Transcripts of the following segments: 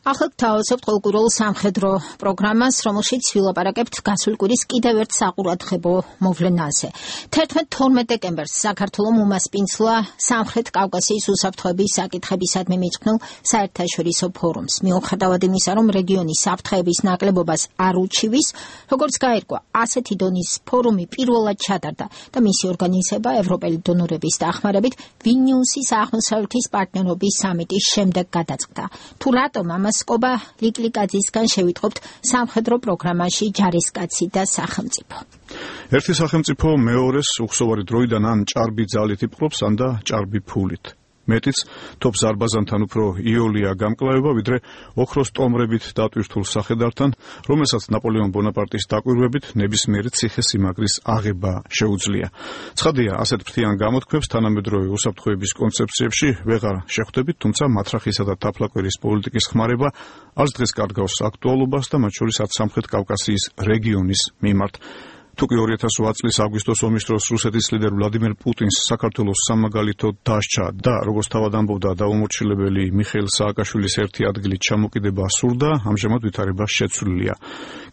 ახლა გთავაზობთ ყოველკვირეულ სამხედრო პროგრამას, რომელშიც ვილაპარაკებთ გასული კვირის კიდევ ერთ საყურადღებო მოვლენაზე. 11-12 დეკემბერს საქართველომ უმასპინძლა სამხრეთ კავკასიის უსაფრთხოების საკითხებისადმი მიწყნულ საერთაშორისო ფორუმს. მიუხედავად იმისა, რომ რეგიონის საფრთხეების ნაკლებობას არ უჩივის, როგორც გაირკვა, ასეთი დონის ფორუმი პირველად ჩატარდა და მისი ორგანიზება ევროპელი დონორების დახმარებით ვილნიუსის აღმოსავლეთის პარტნიორობის სამიტის შემდეგ გადაწყდა. თუ რატომ ამას კობა ლიკლიკაძისგან შევიტყობთ სამხედრო პროგრამაში ჯარისკაცი და სახელმწიფო. ერთი სახელმწიფო მეორეს უხსოვარი დროიდან ან ჭარბი ძალით იპყრობს, ან და ჭარბი ფულით. მეტიც თობს ზარბაზანთან უფრო იოლია გამკლავება, ვიდრე ოქროს ტომრებით დატვირთულ სახედართან, რომელსაც ნაპოლეონ ბონაპარტის დაკვირვებით ნებისმიერი ციხე-სიმაგრის აღება შეუძლია. ცხადია, ასეთ ფრთიან გამოთქვებს თანამედროვე უსაფრთხოების კონცეფციებში ვეღარ შეხვდებით, თუმცა მათრახისა და თაფლაკვერის პოლიტიკის ხმარება არც დღეს კარგავს აქტუალობას და მათ შორის არც სამხრეთ კავკასიის რეგიონის მიმართ. თუკი 2008 წლის აგვისტოს ომის დროს რუსეთის ლიდერ ვლადიმერ პუტინს საქართველოს სამაგალითო დასჯა და როგორც თავად ამბობდა დაუმორჩილებელი მიხეილ სააკაშვილის ერთი ადგილით ჩამოკიდება სურდა, ამჟამად ვითარება შეცვლილია.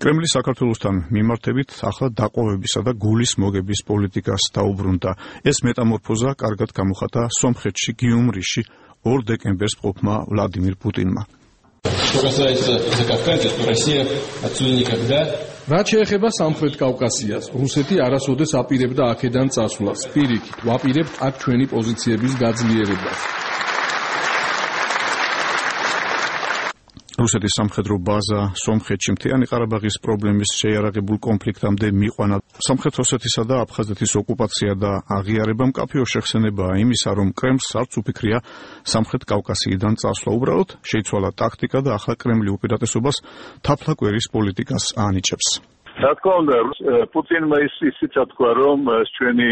კრემლი საქართველოსთან მიმართებით ახლა დაყოვებისა და გულის მოგების პოლიტიკას დაუბრუნდა. ეს მეტამორფოზა კარგად გამოხატა სომხეთში გიუმრიში 2 დეკემბერს მყოფმა ვლადიმირ პუტინმა. რაც შეეხება სამხრეთ კავკასიას, რუსეთი არასოდეს აპირებდა აქედან წასვლას. პირიქით, ვაპირებთ აქ ჩვენი პოზიციების გაძლიერებას. რუსეთის სამხედრო ბაზა სომხეთში მთიანი ყარაბაღის პრობლემის შეიარაღებულ კონფლიქტამდე მიყვანა. სამხრეთ ოსეთისა და აფხაზეთის ოკუპაცია და აღიარება მკაფიო შეხსენებაა იმისა, რომ კრემლს არც უფიქრია სამხრეთ კავკასიიდან წასვლა. უბრალოდ შეიცვალა ტაქტიკა და ახლა კრემლი უპირატესობას თაფლაკვერის პოლიტიკას ანიჭებს. რა თქმა უნდა, პუტინმა ისიც თქვა, რომ ჩვენი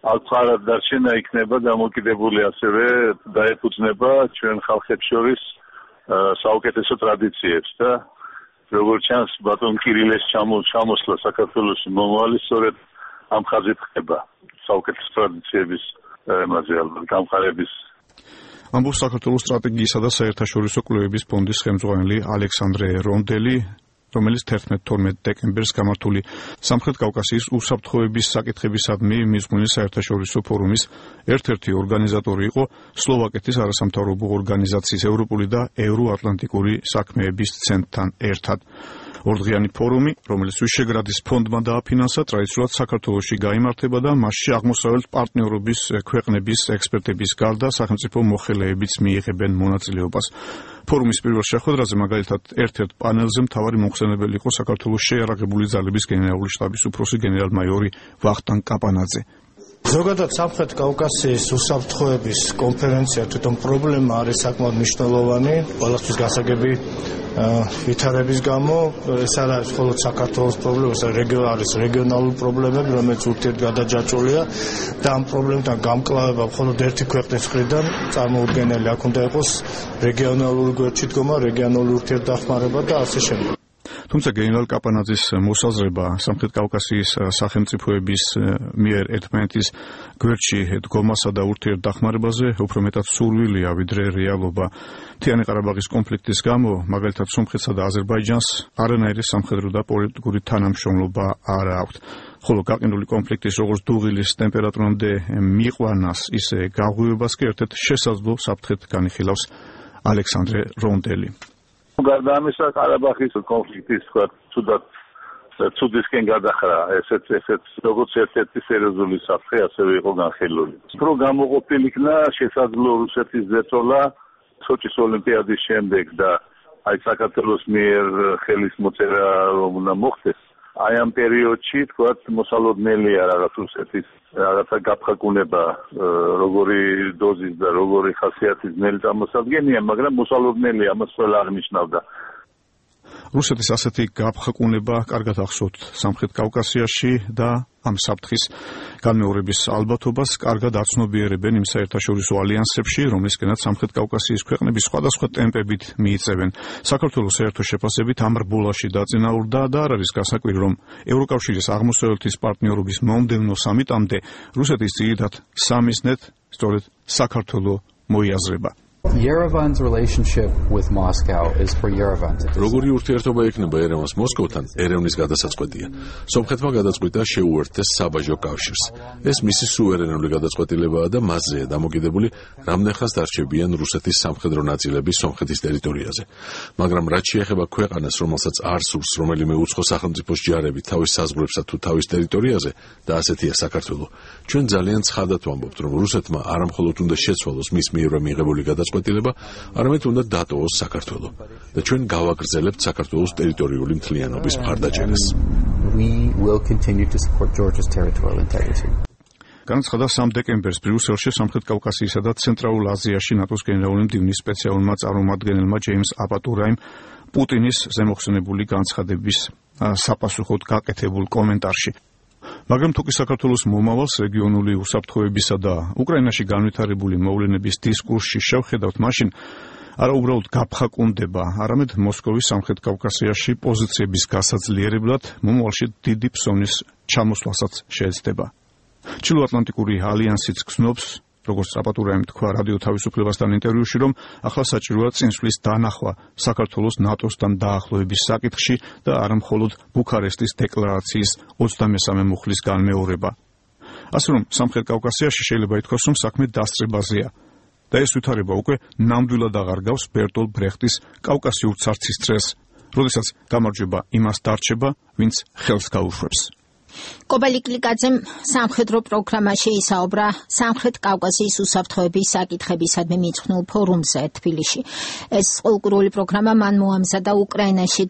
ალყარად დარჩენა იქნება დამოკიდებული ასევე დაეფუძნება ჩვენ ხალხებს შორის საუკეთესო ტრადიციებს და როგორც ჩანს ბატონ კირილეს ჩამოსვლა საქართველოს მომავალი სწორედ ამ ხაზით ხდება საუკეთესო ტრადიციების გამყარების. ამბობს საქართველოს სტრატეგიისა და საერთაშორისო კვლევების ფონდის ხელმძღვანელი ალექსანდრე რონდელი, რომელიც 11-12 დეკემბერს გამართული სამხრეთ კავკასიის უსაფრთხოების საკითხებისადმი მიზღვნილი საერთაშორისო ფორუმის ერთ-ერთი ორგანიზატორი იყო სლოვაკეთის არასამთავრობო ორგანიზაციის ევროპული და ევროატლანტიკური საქმეების ცენტრთან ერთად. ორდღიანი ფორუმი, რომელიც ვიშეგრადის ფონდმა დააფინანსა, ტრადიციულად საქართველოში გაიმართება და მასში აღმოსავლეთ პარტნიორობის ქვეყნების ექსპერტების გარდა სახელმწიფო მოხელეებიც მიიღებენ მონაწილეობას. ფორუმის პირველ შეხვედრაზე მაგალითად ერთ-ერთ პანელზე მთავარი მომხსენებელი იყო საქართველოს შეიარაღებული ძალების გენერალური შტაბის უფროსი გენერალ-მაიორი ვახტანგ კაპანაძე. ზოგადად სამხრეთ კავკასიის უსაფრთხოების კონფერენცია თვითონ პრობლემა არის საკმაოდ მნიშვნელოვანი ყველასთვის გასაგები ვითარების გამო. ეს არ არის მხოლოდ საქართველოს პრობლემა, ეს არის რეგიონალური პრობლემები, რომელიც ურთიერთგადაჯაჭვულია და ამ პრობლემთან გამკლავება მხოლოდ ერთი ქვეყნის მხრიდან წარმოუდგენელი. აქ უნდა იყოს რეგიონალური გვერდში დგომა, რეგიონული ურთიერთდახმარება და ასე შემდეგ. თუმცა გენერალ კაპანაძის მოსაზრება სამხრეთ კავკასიის სახელმწიფოების მიერ ერთმანეთის გვერდში დგომასა და ურთიერთდახმარებაზე უფრო მეტად სურვილია ვიდრე რეალობა. მთიანი ყარაბაღის კონფლიქტის გამო მაგალითად სომხეთსა და აზერბაიჯანს არანაირი სამხედრო და პოლიტიკური თანამშრომლობა არ აქვთ. ხოლო გაყინული კონფლიქტის როგორც დუღილის ტემპერატურამდე მიყვანას, ისე გაღვივებას კი ერთ-ერთ შესაძლო საფრთხედ განიხილავს ალექსანდრე რონდელი. გარდა ამისა, ყარაბაღის კონფლიქტის ცუდისკენ გადახრა ესეც როგორც ერთ-ერთი სერიოზული საფრთხე ასევე იყო განხილული. უფრო გამოყოფილი იქნა შესაძლო რუსეთის ზეწოლა სოჭის ოლიმპიადის შემდეგ და აი საქართველოს მიერ ხელის მოწერა რომ უნდა მოხდეს. აი ამ პერიოდში თქვათ მოსალოდნელია რაღაც რუსეთის რაღაცა გაფხაკუნება როგორი დოზის და როგორი ხასიათის ძნელი წარმოსადგენია, მაგრამ მოსალოდნელია, ამას ყველა აღნიშნავდა. რუსეთის ასეთი გაფხაკუნება კარგად ახსოვთ სამხრეთ კავკასიაში და ამ საფრთხის განმეორების ალბათობას კარგად აცნობიერებენ იმ საერთაშორისო ალიანსებში, რომლისკენაც სამხრეთ კავკასიის ქვეყნები სხვადასხვა ტემპებით მიიწევენ. საქართველოს საერთო შეფასებით ამ რბოლაში დაწინაურდა და არ არის გასაკვირი, რომ ევროკავშირის აღმოსავლეთის პარტნიორობის მომდევნო სამიტამდე რუსეთის ძირითად სამიზნედ სწორედ საქართველო მოიაზრება. Yerevan's relationship with Moscow is for Yerevan to decide. Როგორი ურთიერთობა ექნება ერევანს მოსკოვთან, ერევნის გადასაწყვეტია. სომხეთმა გადაწყვიტა შეუერთდეს საბაჟო კავშირს. ეს მისი სუვერენული გადაწყვეტილებაა და მასზეა დამოკიდებული, რამდენხანს დარჩებიან რუსეთის სამხედრო ნაწილები სომხეთის ტერიტორიაზე. მაგრამ რაც შეეხება ქვეყანას, რომელსაც არ სურს რომელიმე უცხო სახელმწიფოს ჯარები თავის საზღვრებსა თუ თავის ტერიტორიაზე და ასეთია საქართველო, ჩვენ ძალიან ცხადად ვამბობთ, რომ რუსეთმა არამხოლოდ უნდა შეცვალოს მის მიერვე მიღებული გადაწყვეტილება, არამედ უნდა დატოვოს საქართველო და ჩვენ გავაგრძელებთ საქართველოს ტერიტორიული მთლიანობის მხარდაჭერას. We will continue to support Georgia's territorial integrity. განაცხადა 3 დეკემბერს ბრიუსელში სამხრეთ კავკასიისა და ცენტრალურ აზიაში ნატოს გენერალური მდივნის სპეციალურმა წარმომადგენელმა ჯეიმს აპატურაიმ პუტინის ზემოხსენებული განცხადების საპასუხოდ გაკეთებულ კომენტარში. მაგრამ თუ კი საქართველოს მომავალს რეგიონული უსაფრთხოებისა და უკრაინაში განვითარებული მოვლენების დისკურსში შევხედავთ, მაშინ არა უბრალოდ გაფხაკუნდება, არამედ მოსკოვის სამხრეთ კავკასიაში პოზიციების გასაძლიერებლად მომავალში დიდი ფსოვნის ჩამოსვლასაც შეეცდება. ჩრდილოატლანტიკური ალიანსიც გრძნობს, როგორც აპატურაიმ თქვა რადიო თავისუფლებასთან ინტერვიუში, რომ ახლა საჭიროა წინსვლის დანახვა საქართველოს ნატოსთან დაახლოების საკითხში და არა მხოლოდ ბუქარესტის დეკლარაციის 23 მუხლის განმეორება. ასე რომ სამხრეთ კავკასიაში შეიძლება ითქვას, რომ საქმე დასწრებაზეა და ეს ვითარება უკვე ნამდვილად აღარ გავს ბერტოლ ბრეხტის კავკასიურ ცარცის წრეს, როდესაც გამარჯვება იმას დარჩება, ვინც ხელს გაუშვებს. კობალი კლიკაძემ სამხედრო პროგრამაში ისაუბრა სამხრეთ კავკასიის უსაფრთხოების საკითხებისადმი მიძღვნილ ფორუმზე თბილისში. ეს ყოველკვირეული პროგრამა მან მოამზადა უკრაინაში